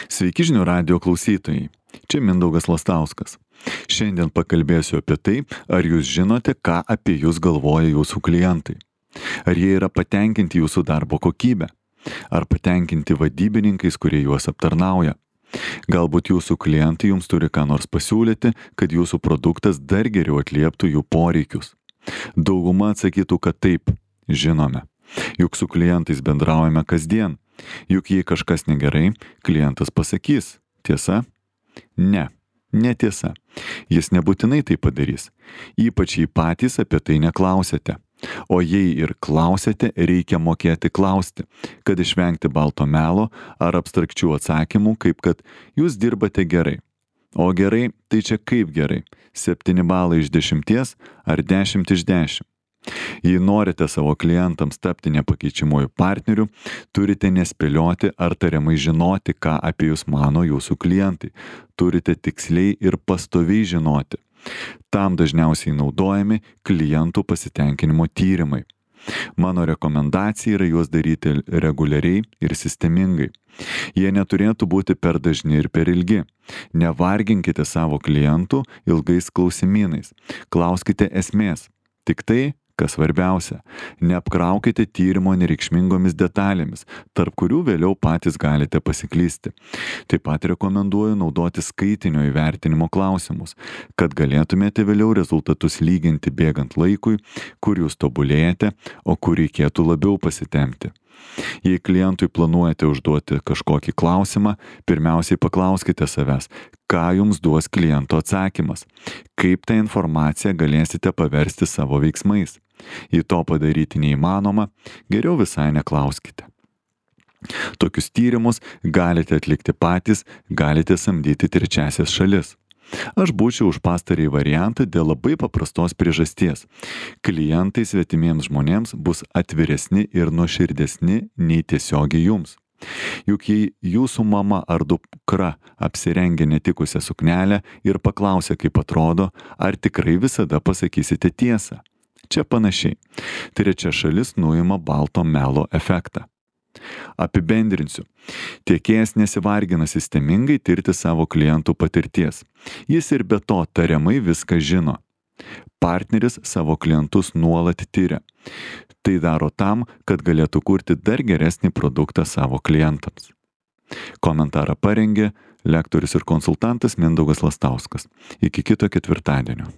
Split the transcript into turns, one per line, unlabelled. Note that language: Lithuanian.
Sveiki žinių radijo klausytojai. Čia Mindaugas Lastauskas. Šiandien pakalbėsiu apie tai, ar jūs žinote, ką apie jūs galvoja jūsų klientai. Ar jie yra patenkinti jūsų darbo kokybę? Ar patenkinti vadybininkais, kurie juos aptarnauja? Galbūt jūsų klientai jums turi ką nors pasiūlyti, kad jūsų produktas dar geriau atlieptų jų poreikius. Dauguma atsakytų, kad taip, žinome. Juk su klientais bendraujame kasdien. Juk jei kažkas negerai, klientas pasakys. Tiesa? Ne, netiesa. Jis nebūtinai tai padarys. Ypač jei patys apie tai neklausėte. O jei ir klausėte, reikia mokėti klausti, kad išvengti balto melo ar abstrakčių atsakymų, kaip kad jūs dirbate gerai. O gerai, tai čia kaip gerai? 7 balai iš 10 ar 10 iš 10? Jei norite savo klientams tapti nepakeičiamuoju partneriu, turite nespėlioti ar tariamai žinoti, ką apie jūs mano jūsų klientai. Turite tiksliai ir pastoviai žinoti. Tam dažniausiai naudojami klientų pasitenkinimo tyrimai. Mano rekomendacija yra juos daryti reguliariai ir sistemingai. Jie neturėtų būti per dažni ir per ilgi. Nevarginkite savo klientų ilgais klausimynais. Klauskite esmės. Tik tai, kas svarbiausia, neapkraukite tyrimo nereikšmingomis detalėmis, tarp kurių vėliau patys galite pasiklysti. Taip pat rekomenduoju naudoti skaitinio įvertinimo klausimus, kad galėtumėte vėliau rezultatus lyginti bėgant laikui, kur jūs tobulėjate, o kur reikėtų labiau pasitempti. Jei klientui planuojate užduoti kažkokį klausimą, pirmiausiai paklauskite savęs, ką jums duos kliento atsakymas, kaip tą informaciją galėsite paversti savo veiksmais. Jei to padaryti neįmanoma, geriau visai neklauskite. Tokius tyrimus galite atlikti patys, galite samdyti trečiasias šalis. Aš būčiau už pastarąjį variantą dėl labai paprastos priežasties. Klientai svetimiems žmonėms bus atviresni ir nuoširdesni nei tiesiogiai jums. Juk jei jūsų mama ar dukra apsirengia netikusią suknelę ir paklausia, kaip atrodo, ar tikrai visada pasakysite tiesą? Čia panašiai. Trečia šalis nuima balto melo efektą. Apibendrinsiu. Tiekėjas nesivargina sistemingai tirti savo klientų patirties. Jis ir be to tariamai viską žino. Partneris savo klientus nuolat tiria. Tai daro tam, kad galėtų kurti dar geresnį produktą savo klientams. Komentarą parengė lektorius ir konsultantas Mindaugas Lastauskas. Iki kito ketvirtadienio.